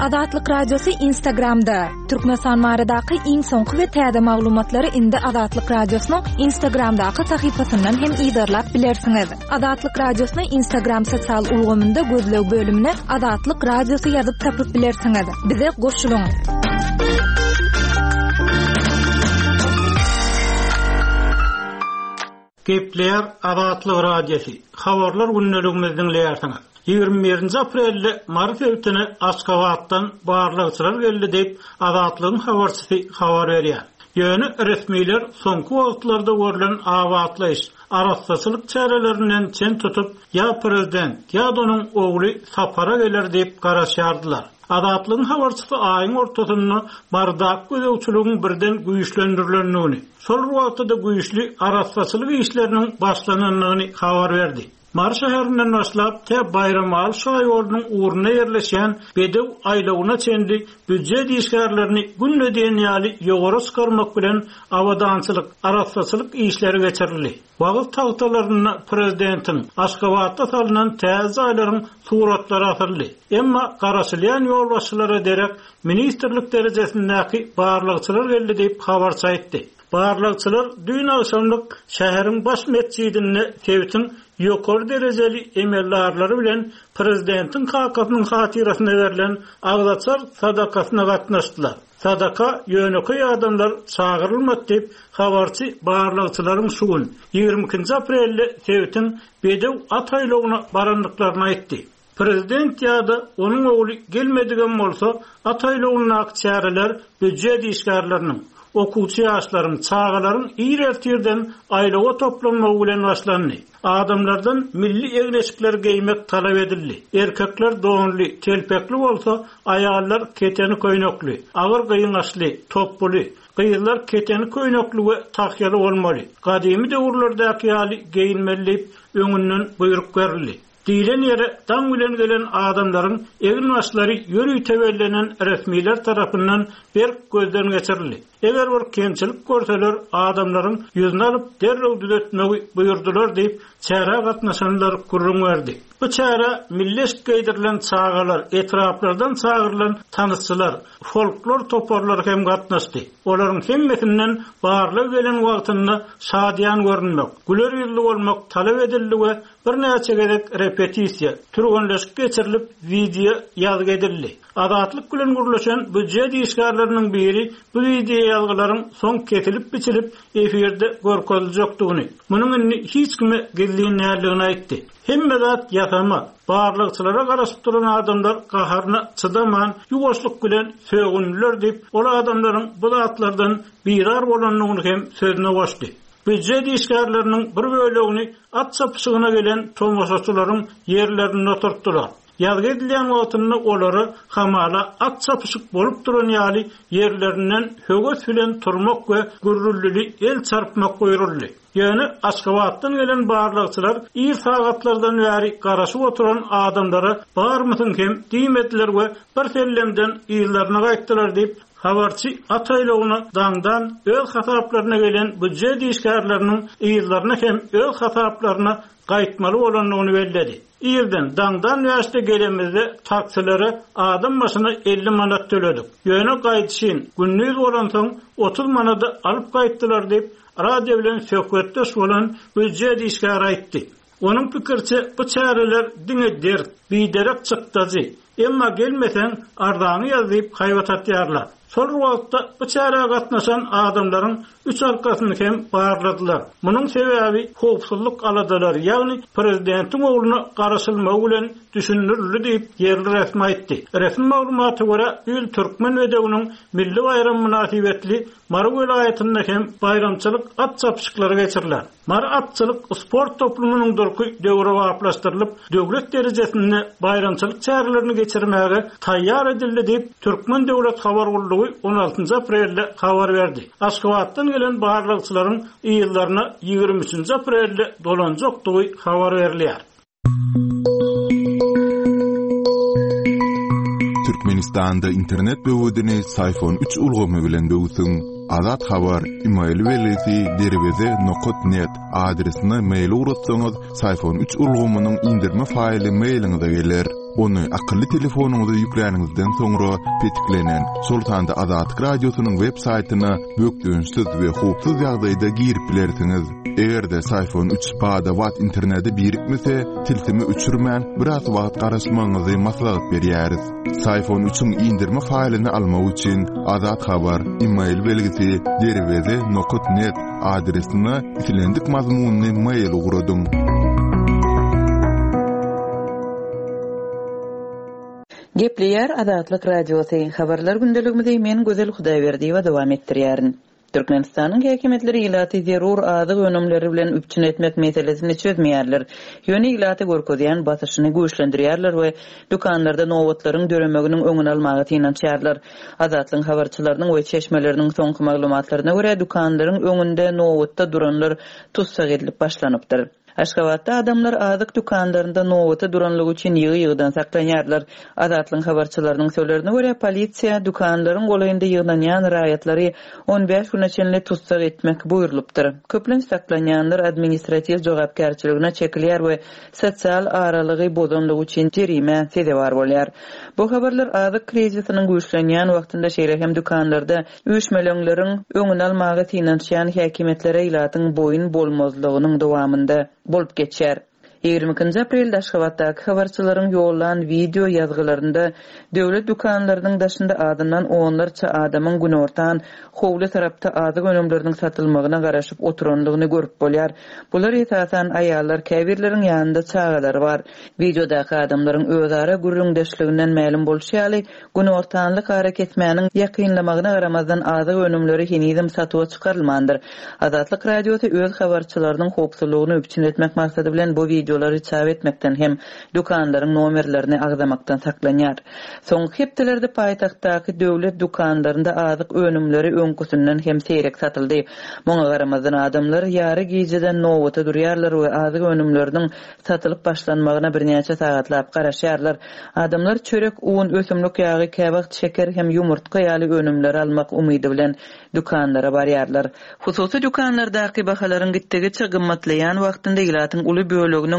Azatlyk Radiosy Instagramda. Türkmenistan baradaky iň soňky we täze maglumatlary indi Azatlyk Radiosynyň Instagramdaky sahypasyndan hem yzarlap bilersiňiz. Azatlyk Radiosyny Instagram sosial ulgamynda gözleg bölümine Azatlyk Radiosy ýazyp tapyp bilersiňiz. Bize goşulyň! Gepleýär Azatlyk Radiosy, Habarlar gündeligimizi diňleýärsiňiz. 21-nji aprelde Mary sebitine Aşgabatdan barlagçylar geldi diýip, Azatlygyň habarçysy habar berýär. Ýöne resmiler soňky wagtlarda görlen abatlaýyş, arassaçylyk çärelerinden çen tutup, ýa prezident, ýa-da onuň ogly sapara geler diýip garaşýardylar. Azatlygyň habarçysy aýyň ortasynda Marydaky gözegçiligiň birden güýçlendirilendigini, şol bir wagtda-da güýçli arassaçylyk işleriniň başlanandygyny habar berdi. Mary şäherinden başlap, tä Baýramaly şaýolunyň ugrunda ýerleşýän Bedew aýlawyna çenli býujet işgärlerini günde diýen ýaly ýowara çykarmak bilen abadançylyk, arassaçylyk işleri geçirildi. Wagyz tagtalarynda prezidentiň, Aşgabatda salnan täze jaýlaryň suratlary asyldy. Emma garaşylýan ýolbaşçylara derek ministrlik derejesindäki barlagçylar geldi diýip, habarçy aýtdy. Barlagçylar düýn agşamlyk şäheriň baş metjidinde sebitiň ýokary derejeli emeldarlary bilen prezidentiň kakasynyň hatyrasyna berlen agzaçar sadakasyna gatnaşdylar. Sadaka ýönekeý adamlar çagyrylmady diýip, habarçy barlagçylaryň şu gün, 22-nji aprelde sebitiň Bedew at aýlawyna barandyklaryny aýtdy. Prezident ýa-da onuň ogly gelmedigem bolsa, at aýlawyndaky çäreler býujet işgärleriniň, okuwçy ýaşlaryň, çagalaryň ir ertirden aýlawa toplanmagy bilen başlandy. Adamlardan milli egin-eşikleri geýmek talap edildi. Erkekler donly, telpekli bolsa, aýallar keteni köýnekli, agyr gyňaçly, topbuly, gyzlar keteni köýnekli we tahýaly bolmaly, gadymy döwürlerdäki ýaly geýinmeli diýip, öňünden buýruk berildi. Diýlen ýere daň bilen gelen adamlaryň egin-başlary ýörite bellenen resmiler tarapyndan berk gözden geçirildi. Eger bir kemçilik görseler, adamlaryň ýüzüni alyp, derrew düzetmegi buýurdylar diýip, çärä gatnaşanlar gürrüň berdi. Bu çärä milli eşik geýdirilen çagalar, etraplardan çagyrylan tanysçylar, folklor toparlary hem gatnaşdy. Olaryň hemmesinden barlag gelen wagtynda şadyýan görünmek, güler ýüzli bolmak talap edildi we Birnäçe gezek repetisiýa, türgenleşik geçirilip, wideo ýazgy edildi. Azatlyk bilen gürleşen býujet işgärleriniň biri bu wideoýazgylaryň soň kesilip-biçilip, efirde görkeziljekdigini, munuň indi hiç kime gizlin däldigini aýtdy. Hemme zat ýasama, barlagçylara garaşyp duran adamlar gaharyna çydaman, ýuwaşlyk bilen sögündiler diýip, ol adamlaryň bu zatlardan bizar bolandygyny hem sözüne goşdy. Býujet işgärleriniň bir bölegini at çapyşygyna gelen tomaşaçylaryň ýerlerinde oturtdylar. Ýazgy edilýän wagtynda olara hamala at çapyşyk bolup duran ýaly ýerlerinden höwes bilen turmak we gürrüldili el çarpmak buýruldy. Ýöne Aşgabatdan gelen barlagçylar ir sagatlardan bäri garaşyp oturan adamlara barmysyň hem diýmediler we birsellemden yzlaryna gaýtdylar diýip, Habarçy at aýlawyna daňdan öz hasaplaryna gelen býujet işgärleriniň yzlaryna hem öz hasaplaryna gaýtmaly bolandygyny belledi. Irden, daňdan bäşde gelemizde taksilere adam başyna 50 manat töledik. Ýöne gaýdyşyn, gündiz bolansoň, 30 manada alyp gaýtdylar diýip, radio bilen söhbetdeş bolan býujet işgäri aýtdy. Onuň pikiriçe, bu çäreler diňe dert, biderek çykdajy, emma gelmeseň, arzaňy ýaz diýip haýbat atýarlar. Şol bir wagtda bu çärä gatnaşan adamlaryň üç arkasyny hem barladylar. Munuň sebäbi howpsuzlyk aladalary, ýagny prezidentiň ogluna garaşylmagy bilen düşündirildi diýip, ýerli resmi aýtdy. Resmi maglumata görä, bu ýyl Türkmen bedewiniň milli baýramy mynasybetli Mary welaýatynda hem baýramçylyk at çapyşyklary geçiriler. Mary atçylyk sport toplumynyň durky döwrebaplaşdyrylyp, döwlet derejesinde baýramçylyk çärelerini geçirmäge taýýar edildi diýip, Türkmen döwlet habar gullugy on altynjy aprelde habar berdi. Aşgabatdan gelen barlagçylaryň yzlaryna ýigrimi üçünji aprelde dolanjakdygy habar berilýär. Türkmenistanda internet böwedini Syfon 3 ulgamy bilen böwsüň. Azat Habar, email belgisi derweze nokat net adresine mail ugratsaňyz, Syfon üç ulgamynyň indirme faýly mailiňize geler. Ony akylly telefonyňyza ýükläniňizden soňra petiklenen, şol sanda Azatlyk Radiosynyň web saýtyna bökdençsiz we howpsuz ýagdaýda girip bilersiňiz. Eger-de Syfon üç bada-bat internete birikmese, tilsimi öçürmän, biraz wagt garaşmagyňyzy maslahat berýäris. Syfon üçiň indirme faýlyny almak üçin Azat Habar, email belgisi derweze nokat net adresine islendik mazmunly mail ugradyň. Gepleýär Azatlyk Radiosy, Habarlar gündeligimizi men Gözel Hudaýberdiýewa dowam etdirýärin. Türkmenistanyň häkimiýetleri ilaty zerur azyk önümleri bilen üpjün etmek meselesini çözmeýärler, ýöne ilata görkezýän basyşyny güýçlendirýärler we dükanlarda nobatlaryň döremeginiň öňüni almaga synanyşýarlar. Azatlygyň habarçylarynyň we çeşmeleriniň soňky maglumatlaryna görä, dükanlaryň öňünde nobatda duranlar tussag edilip başlanypdyr. Aşgabatda adamlar azyk dükanlarynda nobata duranlygy üçin ýygy-ýygydan saklanýarlar. Azatlygyň habarçylarynyň sözlerine görä, polisiýa dükanlaryň golaýynda ýygnanýan raýatlary on bäş güne çenli tussag etmek buýrulypdyr. Köplenç saklanýanlar administratiw jogapkärçiligine çekilýär we sosial aralygy bozanlygy üçin jerimä sezewar bolýar. Bu habarlar azyk krizisiniň güýçlenýän wagtynda, şeýle hem dükanlarda Üýşmeleňleriň öňüni almaga synanyşýan häkimiýetlere ilatyň boýun bolmazlygynyň dowamynda bolup geçýär. 22-nji aprelde Aşgabatdaky habarçylaryň ýollan wideo ýazgylarynda döwlet dükanlarynyň daşynda azyndan onlarça adamyň günortan howly tarapda azyk önümleriniň satylmagyna garaşyp oturandygyny görüp bolýar. Bular esasan aýallar, käbirleriň ýanynda çagalary bar. Wideodaky adamlaryň özara gürrüňdeşliginden mälim bolşy ýaly, Günortanlyk arakesmäniň ýakynlamagyna garamazdan azyk önümleri henizem satuwa çykarylmandyr. Azatlyk Radiosy öz habarçylarynyň howpsuzlygyny üpjün etmek maksady bilen bu wideolary çap etmekden hem dükanlaryň nomerlerini agzamakdan saklanýar. Soňky hepdelerde paýtagtdaky döwlet dükanlarynda azyk önümleri öňküsinden hem seýrek satyldy. Muňa garamazdan adamlar ýary gijeden nobata durýarlar we azyk önümleriniň satylyp başlanmagyna birnäçe sagatlap garaşýarlar. Adamlar çörek, un, ösümlik ýagy, käwagt şeker hem ýumurtga ýaly önümleri almak umydy bilen dükanlara barýarlar. Hususy dükanlardaky bahalaryň gitdigiçe gymmatlaýan wagtynda ilatyň uly böleginiň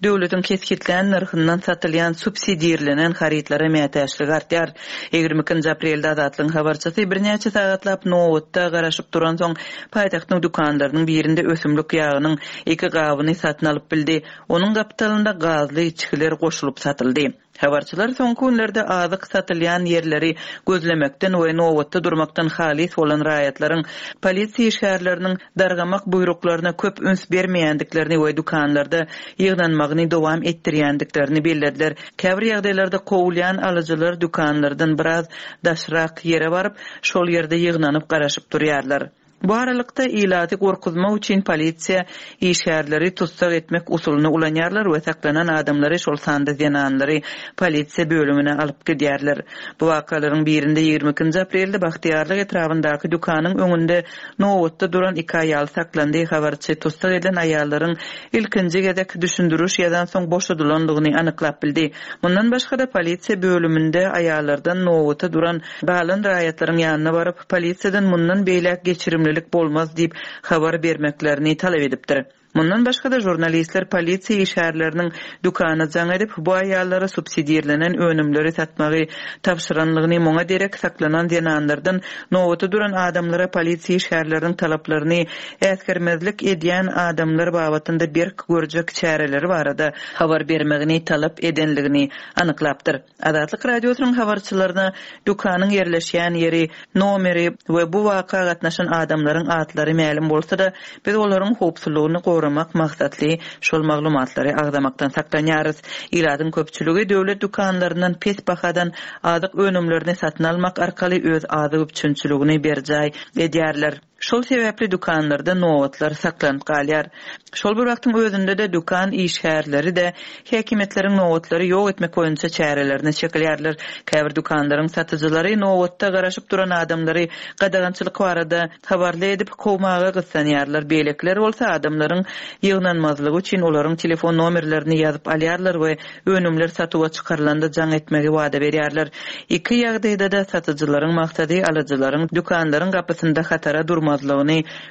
döwletiň kesgitlän nyrhyndan satylýan subsidirlenen harytlara mätäçligi artýar. 22-nji aprelde Azatlygyň habarçysy birnäçe sagatlap nobatda garaşyp duransoň, paýtagtyň dükanlarynyň birinde ösümlik ýagynyň iki gabyny satyn alyp bildi. Onuň gapdalynda gazly içgiler goşulyp satyldy. Habarçylar soňky günlerde azyk satylýan ýerleri gözlemekden we nobatda durmakdan halys bolan raýatlaryň polisiýa işgärleriniň dargamak buýruklaryna köp üns bermeýändiklerini we dükanlarda ýygnanmagyny dowam etdirýändiklerini bellediler. Käbir ýagdaýlarda kowulýan alyjylar dükanlardan biraz daşrak ýere baryp, şol ýerde ýygnanyp garaşyp durýarlar. Bu aralykda, ilaty gorkuzmak üçin polisiýa işgärleri tussag etmek usulyny ulanýarlar we saklanan adamlary, şol sanda zenanlary polisiýa bölümine alyp gidýärler. Bu wakalaryň birinde 22-nji aprelde Bagtyýarlyk etrabyndaky dükanyň öňünde nobatda duran iki aýal saklandy. Habarçy tussag edilen aýallaryň ilkinji gezek düşündiriş ýazansoň boşadylandygyny anyklap bildi. Mundan başga-da, polisiýa bölüminde aýallardan nobata duran galan raýatlaryň ýanyna baryp, polisiýadan mundan beýläk geçirimlilik bolmaz diýip habar bermeklerini talap edipdir. Mundan başga-da, žurnalistler polisiýa işgärleriniň dükana jaň edip, bu aýallara subsidirlenen önümleri satmagy tabşyranlygyny, muňa derek saklanan zenanlardan nobata duran adamlara polisiýa işgärleriniň talaplaryny äsgermezlik edýän adamlar babatynda berk görjek çäreleri barada habar bermegini talap edenligini anyklapdyr. Azatlyk Radiosynyň habarçylaryna dükanyň ýerleşýän ýeri, nomeri we bu waka gatnaşan adamlaryň atlary mälim bolsa-da, biz olaryň howpsuzlygyny goramak maksatly şol maglumatlary agzamakdan saklanýarys. Ilatyň köpçüligi döwlet dükanlaryndan pes bahadan azyk önümlerini satyn almak arkaly öz azyk üpjünçiligini berjaý edýärler. Şol sebäpli dükanlarda nobatlar saklanyp galýar. Şol bir wagtyň özünde-de dükan işgärleri-de häkimiýetleriň nobatlary ýok etmek boýunça çärelerine çekilýärler. Käbir dükanlaryň satyjylary nobatda garaşyp duran adamlary gadagançylyk barada habarly edip, kowmaga gyssanýarlar, beýlekiler bolsa adamlaryň ýygnanmazlygy üçin olaryň telefon nomerlerini ýazyp alýarlar we önümler satuwa çykarylanda jaň etmegi wada berýärler. Iki ýagdaýda-da satyjylaryň maksady alyjylaryň dükanlaryň gapysynda hatara durmazlygyny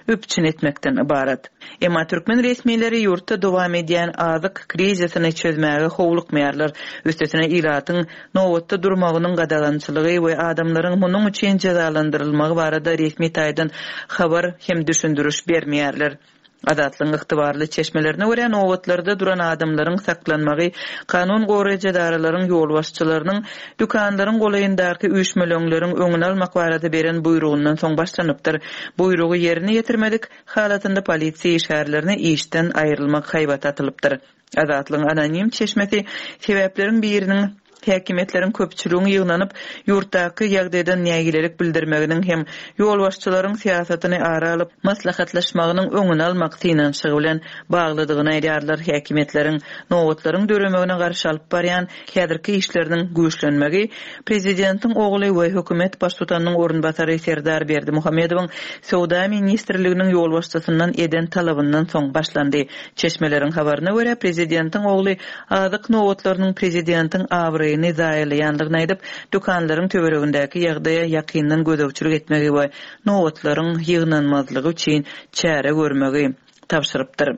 üpjün etmekden ybarat. Emma türkmen resmileri ýurtda dowam edýän azyk krizisini çözmäge howlukmaýarlar. Üstesine ilatyň nobatda durmagynyň gadagançylygy we adamlaryň munuň üçin jezalandyrylmagy barada resmi taýdan habar hem düşündiriş bermeýärler. Azatlygyň ygtybarly çeşmelerine görä, nobatlarda duran adamlaryň saklanmagy kanun goraýjy edaralaryň ýolbaşçylarynyň dükanlaryň golaýyndaky üýşmeleňleriň öňüni almak barada beren buýrugyndan soň başlanypdyr. Buýrugy ýerine ýetirmedik halatynda polisiýa işgärlerine işden aýrylmak haýbaty atylypdyr. Azatlygyň anonim çeşmesi sebäpleriň biriniň häkimiýetleriň köpçüligiň ýygnanyp, ýurtdaky ýagdaýdan nägilelik bildirmeginiň hem ýolbaşçylaryň syýasatyny ara alyp maslahatlaşmagynyň öňüni almak synanyşygy bilen baglydygyny aýdýarlar. Häkimiýetleriň nobatlaryň döremegine garşy alyp barýan häzirki işleriniň güýçlenmegi prezidentiň ogly we hökümet baştutanynyň orunbasary Serdar Berdimuhamedowyň Söwda ministrliginiň ýolbaşçysyndan eden talabyndan soň başlandy. Çeşmeleriň habaryna görä, prezidentiň ogly azyk nobatlarynyň prezidentiň abraýyny zaýalaýandygyny aýdyp, dükanlaryň töweregindäki ýagdaýa ýakyndan gözegçilik etmegi we nobatlaryň ýygnanmazlygy üçin çäre görmegi tabşyrypdyr.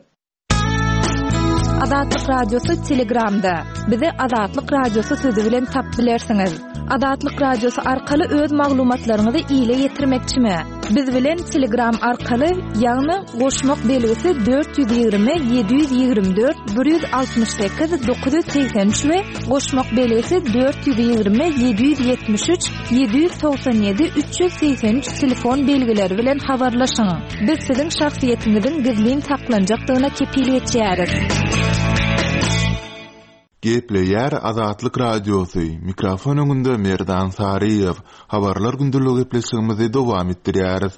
Azatlyk Radiosy Telegramda. Bizi Azatlyk Radiosy sözi bilen tapyp bilersiňiz. Azatlyk Radiosy arkaly öz maglumatlaryňyzy ile ýetirmekçimi? Biz bilen Telegram arkaly, ýagny goşmak belgisi 420 724 168 983 we goşmak belgisi 420 773 797 383 telefon belgileri bilen habarlaşyň. Biz siziň şahsyýetiňiziň gizlin saklanjakdygyna kepil geçýäris. Gepleýär Azatlyk Radiosy, mikrofon öňünde Merdan Saryýew. Habarlar gündeligi gepleşigimizi dowam etdirýäris.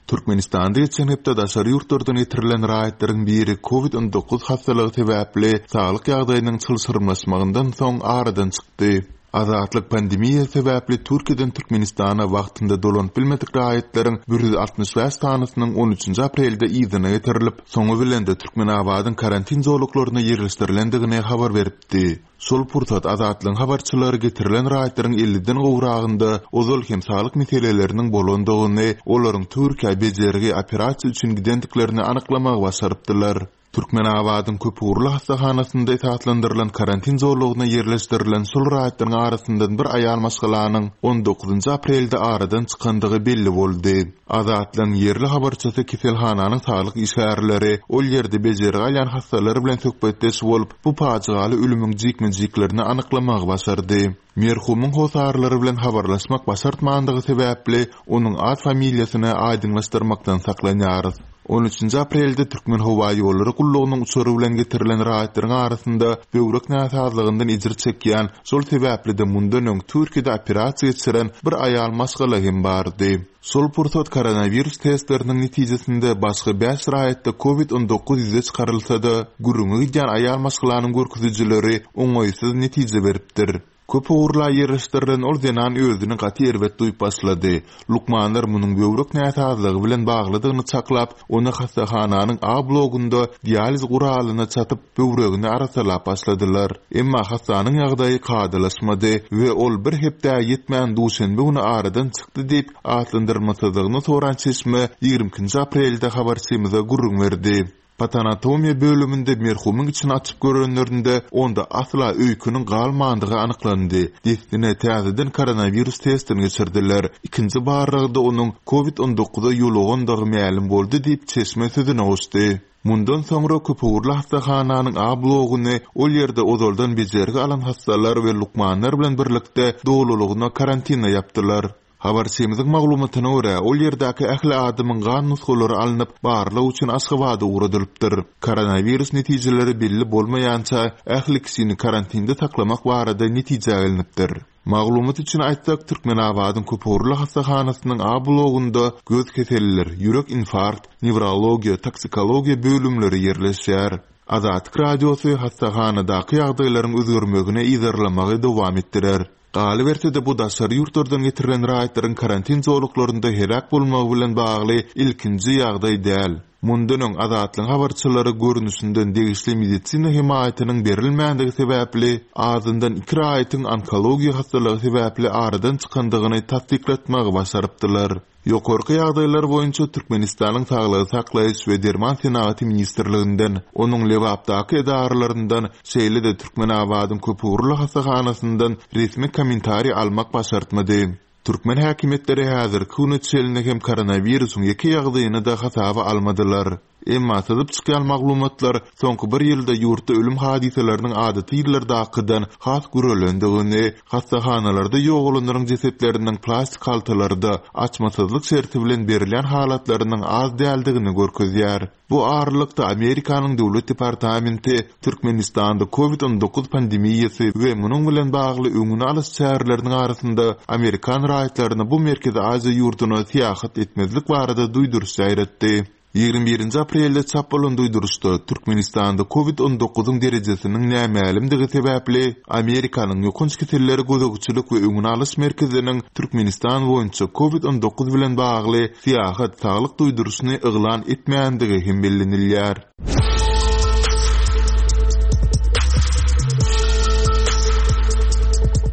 Türkmenistanda geçen hepde daşary ýurtlardan getirilen raýatlaryň biri Covid 19 hassalygy sebäpli saglyk ýagdaýynyň çylşyrymlaşmagyndan soň aradan çykdy. Azatlyk pandemiýa sebäpli Türkiýeden Türkmenistana wagtynda dolanyp bilmedik raýatlaryň 165 sanysynyň on üçünji aprelde yzyna getirilip, soňy bilen-de Türkmenabadyň karantin zolaklaryna ýerleşdirilendigini habar beripdi. Şol pursat Azatlygyň habarçylary getirilen raýatlaryň elliden gowragynda ozal hem saglyk meseleleriniň bolandygyny, olaryň Türkiýä bejergi, operasiýa üçin gidendiklerini anyklamagy başarypdylar. Türkmenabadyň köpugurly hassahanasynda esaslandyrylan karantin zolagyna ýerleşdirilen şol raýatlaryň arasyndan bir aýal maşgalanyň on dokuzynjy aprelde aradan çykandygy belli boldy. Azatlygyň ýerli habarçysy keselhananyň saglyk işgärleri, ol ýerde bejergi alýan hassalar bilen söhbetdeş bolup, bu pajygaly ölümiň jikme-jiklerini anyklamagy başardy. Merhumyň hossarlary bilen habarlaşmak başartmandygy sebäpli, onuň at-familiýasyny aýdyňlaşdyrmakdan saklanýarys. On üçünji aprelde Türkmenhowaýollary gullugynyň uçary bilen getirilen raýatlaryň arasynda böwrek näsazlygyndan ejir çekýän, şol sebäpli-de mundan öň Türkiýede operasiýa geçiren bir aýal maşgala hem bardy. Şol pursat koronawirus testleriniň netijesinde başga bäş raýatda covid 19 ýüze çykarylsa-da, gürrüňi gidýän aýal maşgalanyň görkezijileri oňaýsyz netije beripdir. Köp ugurla ýerleşdirilen ol zenan özüni gaty erbet duýup başlady. Lukmanlar munuň böwrek näsazlygy bilen baglydygyny çaklap, ony hassahananyň A blogunda dializ guralyna çatyp, böwregini arassalap başladylar. Emma hassanyň ýagdaýy kadalaşmady we ol bir hepdä ýetmän duşenbe güni aradan çykdy diýip, atlandyrmasyzlygyny soran çeşme 22 ikinji aprelde habarçymyza gürrüň berdi. Patanatomiýa bölüminde merhumyň içini açyp görenlerinde, onda asla öýkeniň galmandygy anyklandy. Dessine täzeden koronawirus testini geçirdiler. Ikinji barlagda onuň covid 19-a ýolugandygy mälim boldy diýip, çeşme sözüne goşdy. Mundan soňra köpugurly hassahananyň A bloguny ol ýerde ozaldan bejergi alan hassalar we lukmanlar bilen birlikde dolulygyna karantina ýapdylar. Habarçymyzyň maglumatyna görä, ol ýerdäki ähli adamyň gan nusgalary alnyp, barlag üçin Aşgabada ugradylypdyr. Koronawirus netijeleri belli bolmaýança, ähli kişini karantinde saklamak barada netijä gelnipdir. Maglumat üçin aýtsak, Türkmenabadyň köpugurly hassahanasynyň A blogunda göz keselleri, ýürek infarkt, newrologiýa, toksikologiýa bölümleri ýerleşýär. Azatlyk Radiosy hassahanadaky ýagdaýlaryň özgermegini yzarlamagy dowam etdirer. Galyberse-de, bu daşary ýurtlardan getirilen raýatlaryň karantin zolaklarynda heläk bolmagy bilen bagly ilkinji ýagdaý däl. Mundan öň Azatlygyň habarçylary görnüşinden degişli medisina hemaýatynyň berilmändigi sebäpli azyndan iki raýatyň onkologiýa hassalygy sebäpli aradan çykandygyny tassyklatmagy başarypdylar. Ýokarky ýagdaýlar boýunça Türkmenistanyň Saglygy saklaýyş we derman senagaty ministrliginden, onuň Lebapdaky edaralaryndan, şeýle-de Türkmenabadyň köpugurly hassahanasyndan resmi kommentariý almak başartmady. Türkmen häkimiýetleri häzirki güne çenli hem koronawirusyň ýeke ýagdaýyny-da hasaba almadylar. Emma syzyp çykýan maglumatlar soňky bir ýylda ýurtda ölüm hadysalarynyň adaty ýyllardakydan has gürelendigini, hassahanalarda ýogalanlaryň jesetleriniň plastik haltalarda, açmasyzlyk şerti bilen berilýän halatlarynyň az däldigini görkezýär. Bu aralykda, Amerikanyň Döwlet departamenti Türkmenistanda Covid 19 pandemiýasy we munuň bilen bagly öňüni alyş çäreleriniň arasynda amerikan raýatlaryna bu Merkezi Aziýa ýurduna syýahat etmezlik barada duýduryş ýaýratdy. 21-nji aprelde çap bolan duýduryşda Türkmenistanda Covid 19-yň derejesiniň nämälimdigi sebäpli Amerikanyň Ýokanç kesellere gözegçilik we öňüni alyş merkeziniň Türkmenistan boýunça Covid 19 bilen bagly syýahat saglyk duýduryşyny yglan etmändigi hem bellenilýär.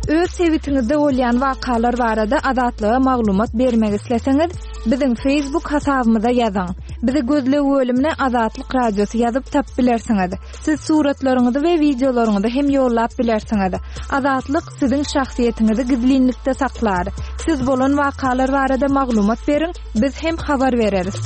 Öz sebitiňizde bolýan wakalar barada Azatlyga maglumat bermek isleseňiz, biziň Facebook hasabymyza ýazyň. Bizi gözleg bölümine Azatlyk Radiosy ýazyp tapyp bilersiňiz. Siz suratlaryňyzy we wideolaryňyzy hem ýollap bilersiňiz. Azatlyk siziň şahsyýetiňizi gizlinlikde saklar. Siz bolan wakalar barada maglumat beriň, biz hem habar bereris.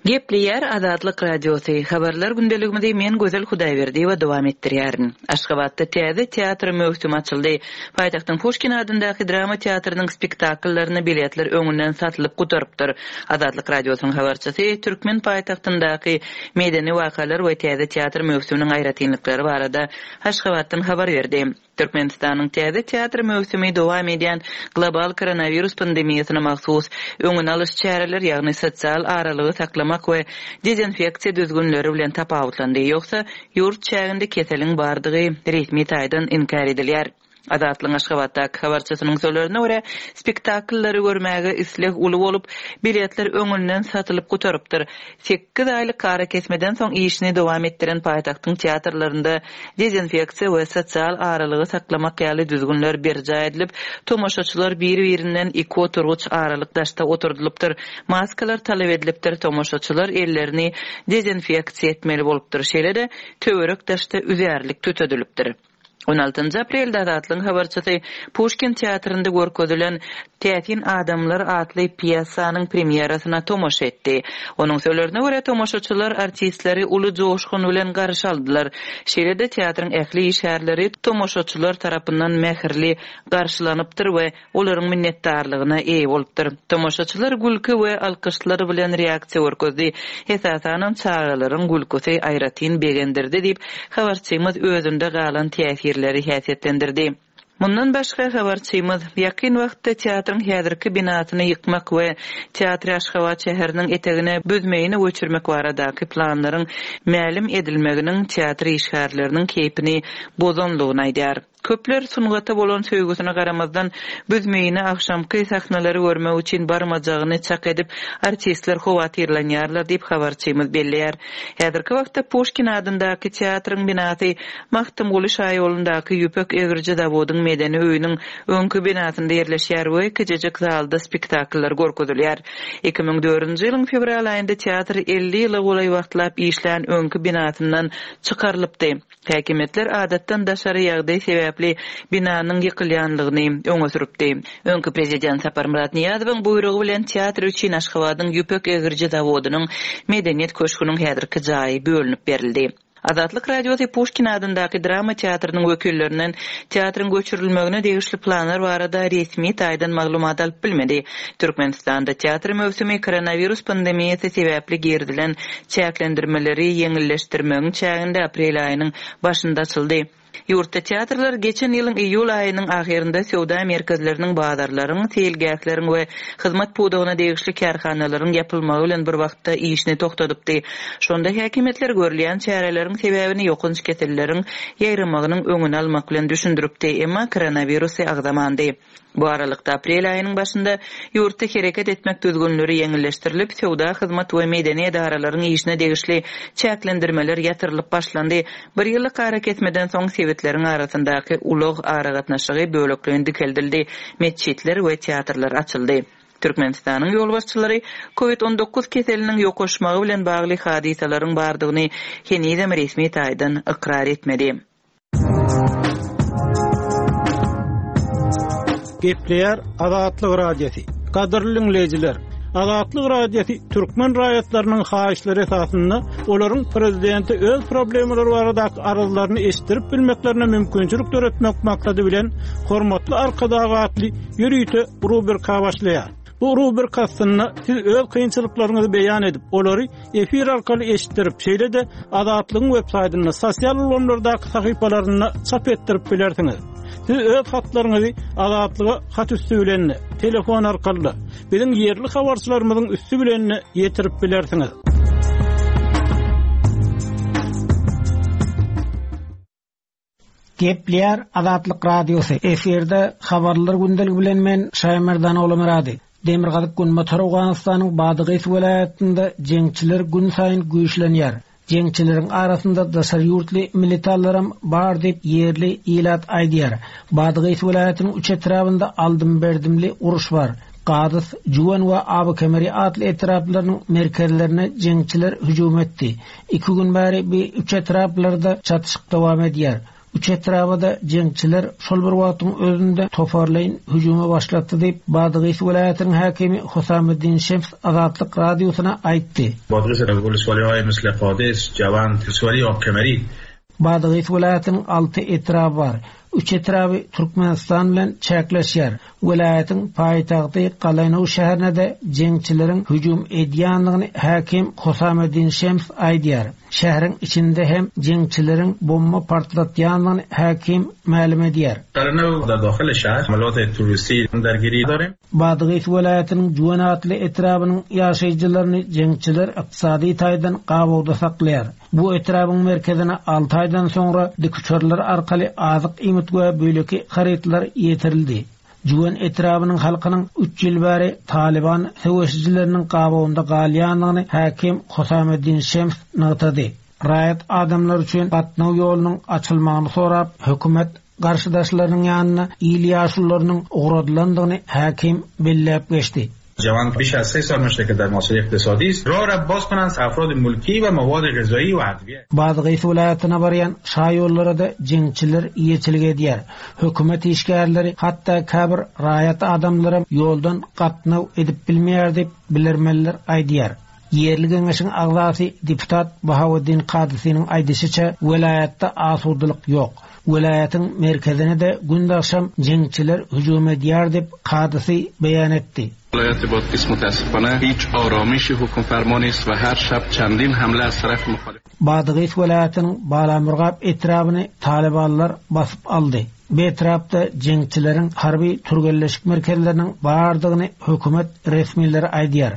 Gepleýär Azatlyk Radiosy, Habarlar gündeligimizi men Gözel Hudaýberdiýewa dowam etdirýärin. Aşgabatda täze teatr möwsümi açyldy. Paýtagtyň Puşkin adyndaky drama teatrynyň spektakllaryna biletler öňünden satylyp gutarypdyr. Azatlyk Radiosynyň habarçysy türkmen paýtagtyndaky medeni wakalar we täze teatr möwsüminiň aýratynlyklary barada Aşgabatdan habar berdi. Türkmenistanyň täze teatr möwsümi dowam edýän global koronawirus pandemiýasyna mahsus öňüni alyş çäreler, ýagny sosial aralygy saklamak we dezinfeksiýa düzgünleri bilen tapawutlandy. Ýogsa, ýurt çäginde keseliň bardygy resmi taýdan inkär edilýär. Azatlygyň Aşgabatdaky habarçysynyň sözlerine görä, spektakllary görmäge isleg uly bolup, biletler öňünden satylyp gutarypdyr. Sekiz aýlyk arakesmeden soň işini dowam etdiren paýtagtyň teatrlarynda dezinfeksiýa we sosial aralygy saklamak ýaly düzgünler berjaý edilip, tomaşaçylar bir-birinden iki oturgyç aralyk daşda oturdylypdyr, maskalar talap edilipdir, tomaşaçylar ellerini dezinfeksiýa etmeli bolupdyr, şeýle-de töwerek-daşda üzärlik tütedilipdir. On altynjy aprelde Azatlygyň habarçysy Puşkin teatrynda görkezilen Täsin adamlar atly pýesanyň premýerasyna tomaşa etdi. Onuň sözlerine görä, tomaşaçylar artistleri uly joşgun bilen garşy aldylar. Şeýle-de teatryň ähli işgärleri tomaşaçylar tarapyndan mähirli garşylanypdyr we olaryň minnetdarlygyna eýe bolupdyr. Tomaşaçylar gülki we alkyşlar bilen reaksiýa görkezdi. Esasanam çagalaryň gülküsi aýratyn begendirdi diýip, habarçymyz özünde galan täsirleri häsiýetlendirdi. Mundan başga, habarçymyz, ýakyn wagtda teatryň häzirki binasyny ýykmak we teatry Aşgabat şäheriniň etegine Büzmeýine göçürmek baradaky planlaryň mälim edilmeginiň teatr işgärleriniň keýpini bozanlygyny aýdýar. Köpler sungata bolan söýgüsine garamazdan, Büzmeýine agşamky sahnalary görmek üçin barmajagyny çak edip, artistler howatyrlanýarlar diýip, habarçymyz belleýär. Häzirki wagtda Puşkin adyndaky teatryň binasy Magtymguly şaýolundaky ýüpek egriji zawodyň medeni öýüniň öňki binasynda ýerleşýär we kiçijik zalda spektakllar görkezilýär. 2004-nji ýylyň fewral aýynda teatr 50 ýyla golaý wagtlap işlän öňki binasyndan çykarylypdy. Häkimiýetler adatdan daşary ýagdaý sebäpli binanyň ýykylýanlygyny öňe sürüpdi. Öňki prezident Saparmyrat Nyýazowyň buýrugy bilen teatr üçin Aşgabadyň ýüpek egriji zawodynyň Medeniýet köşgüniň häzirki jaýy bölünip berildi. Azatlyk Radiosy Puşkin adyndaky drama teatrynyň wekillerinden teatryň göçürilmegine degişli planlar barada resmi taýdan maglumat alyp bilmedi. Türkmenistanda teatr möwsümi koronawirus pandemiýasy sebäpli girizilen çäklendirmeleri ýeňilleşdirmegiň çäginde aprel aýynyň başynda açyldy. Ýurtda teatrlar geçen ýylyň iýul aýynyň ahyrynda söwda merkezleriniň, bazarlaryň, seýilgähleriň we hyzmat pudagyna degişli kärhanalaryň ýapylmagy bilen bir wagtda işini togtadypdy. Şonda häkimiýetler görülýän çäreleriň sebäbini ýokanç keselleriň ýaýramagynyň öňüni almak bilen düşündiripdi, emma koronawirusy agzamandy. Bu aralykda, aprel aýynyň başynda ýurtda hereket etmek düzgünleri ýeňilleşdirilip, söwda, hyzmat we medeni edaralaryň işine degişli çäklendirmeler ýatyrylyp başlandy. Bir ýyllyk arakesmeden soň sebitleriň arasyndaky ulag aragatnaşygy bölekleýin dikeldildi, metjitler we teatrlar açyldy. Türkmenistanyň ýolbaşçylary Covid 19 keseliniň ýokaşmagy bilen bagly hadysalaryň bardygyny henizem resmi taýdan ykrar etmedi. Gepleýär Azatlyk Radiosy. Gadyrly diňleýjiler, Azatlyk Radiosy türkmen raýatlarynyň haýyşlary esasynda olaryň prezidente öz problemalary baradaky arzlaryny eşitdirip bilmeklerine mümkinçilik döretmek maksady bilen Hormatly Arkadag atly ýörite rubrika başlaýar. Bu rubrika astynda siz öz kynçylyklaryňyzy beýan edip, olary efir arkaly eşitdirip, şeýle-de Azatlygyň web-saýtynda, sosial ulgamlardaky sahypalarynda çap etdirip bilersiňiz. Siz öz hatlaryňyzy Azatlyga hat üsti bilen-de, telefon arkaly-da, biziň ýerli habarçylarymyzyň üsti bilen-de ýetirip bilersiňiz. Gepleýär Azatlyk Radiosy, efirde Habarlar gündeligi bilen men Şaýmerdan Ogulmyrady. Demirgazyk-günbatar Owganystanyň Badygys welaýatynda jeňçiler günsaýyn güýçlenýär. Jeňçileriň arasynda daşary ýurtly militallaram bar diýip ýerli ilat aýdýar. Badygys welaýatynyň üç etrabynda aldym-berdimli uruş bar. Gadys, Jüwen we Abykemeri atly etraplarynyň merkezlerine jeňçiler hüjüm etdi. Iki gün bäri bi üç etraplarda çatyşyk dowam edýär. Üç etraba-da jeňçiler şol bir wagtyň özünde toparlaýyn hüjüme başlatdy diýip, Badgys welaýatynyň häkimi Husameddin Şems Azatlyk Radiosyna aýtdy. Badgys wolusuwalihaýy misli Kades, Jawand, wolusuwaliýi Abkemeri. Badgys welaýatynyň alty etraby bar. Üç etraby Türkmenistan bilen çäkleşýär. Welaýatyň paýtagty Galaýnow şäherine-de jeňçileriň hüjüm edýändigini häkim Husameddin Şems aýdýar. Şäheriň içinde hem jeňçileriň bomba partlatýandygyny häkim mälim edýär. Galaýnow dar dahyl şäher hamalot terroristi dargiri darim. Badgys welaýatynyň Jüwen atly etrabynyň ýaşaýjylaryny jeňçiler ykdysady taýdan gabawda saklaýar. Bu etrabyň merkezine alty aýdan soňra dikuçarlar arkaly azyk-iýmit we beýleki harytlar ýetirildi. Jüwen etrabynyň halkynyň üç ýyl bäri Talyban söweşijileriniň gabawynda galýandygyny häkim Husameddin Şems nygtady. Raýat adamlar üçin gatnaw ýolunyň açylmagyny sorap, hökümet garşydaşlarynyň ýanyna il ýaşulularynyň ugradylandygyny häkim belläp geçdi. Jawan biş az se sal muşteke dar masele iktisadi ist rah ra baz konand afrad mulki we mawad gazai we adviye. Badgys welaýatyna barýan şaýollara-da jeňçiler eýeçilik edýär. Hökümet işgärleri, hatda käbir raýat adamlaram ýoldan gatnaw edip bilmeýär diýip, bilermenler aýdýar. Ýerli geňeşiň agzasy deputat Bahaweddin Kadysynyň aýdyşyça, welaýatda asudalyk ýok. Welaýatyň merkezine-de günde-agşam jeňçiler hüjüm edýär diýip, Kadysy beýan etdi. Welaýat Badgis mutaassifane hiç aramişi hukmferma nist we her şab çendin hamle az taraf muhalif. Badgis welaýatynyň Balamurgap etrabyny talybanlar basyp aldy. Bu etrapda jeňçileriň harby türgenleşik merkezleriniň bardygyny hökümet resmileri aýdýar.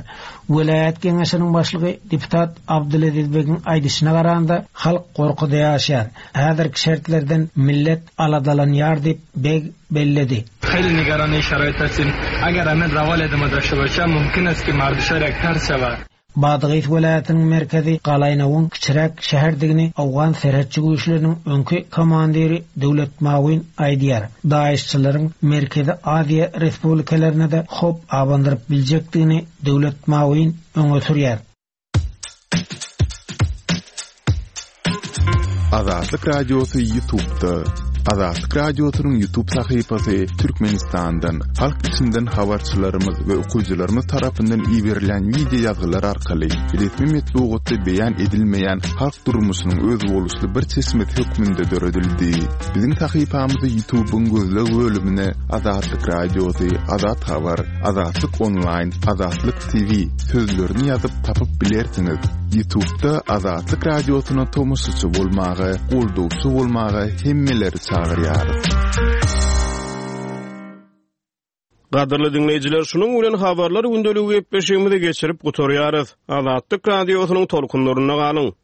Welaýat geňeşiniň başlygy deputat Abdyleziz begiň aýdyşyna garanda, halk gorkuda ýaşaýar. Häzirki şertlerden millet aladalanýar diýip, beg belledi. Heli nigarani şaraýt hasim. Agar amin rawal edama daşta boşa, mumkin est ki mardi şar ýek ters şewa. Badgys welaýatynyň merkezi Galaýnawyň kiçiräk şäherdigini owgan serhetçi güýçleriniň öňki komandiri Döwlet Mawin aýdýar. DAIŞ-çylaryň Merkezi Aziýa respublikalaryna-da howp abandyryp biljekdigini Döwlet Mawin öňe sürýär. Azatlyk Radiosy Ýutubda. Azatlyk Radiosynyň Ýutub sahypasy Türkmenistandan, halk içinden habarçylarymyz we okyjylarymyz tarapyndan iberilýän wideo ýazgylar arkaly resmi metbugatda beýan edilmeýän halk durmuşynyň özboluşly bir çeşmesi hökmünde döredildi. Biziň sahypamyzy Ýutubyň gözleg bölümine Azatlyk Radiosy, Azat Habar, Azatlyk Onlaýn, Azatlyk TV sözlerini ýazyp tapyp bilersiňiz. Ýutubda Azatlyk Radiosyna tomaşaçy bolmaga, goldawçy bolmaga hemmeleri çagyrýarys. Gadyrly diňleýjiler, şunuň bilen Habarlar gündeligi gepleşigimizi geçirip gutarýarys. Azatlyk Radiosynyň tolkunlarynda galyň!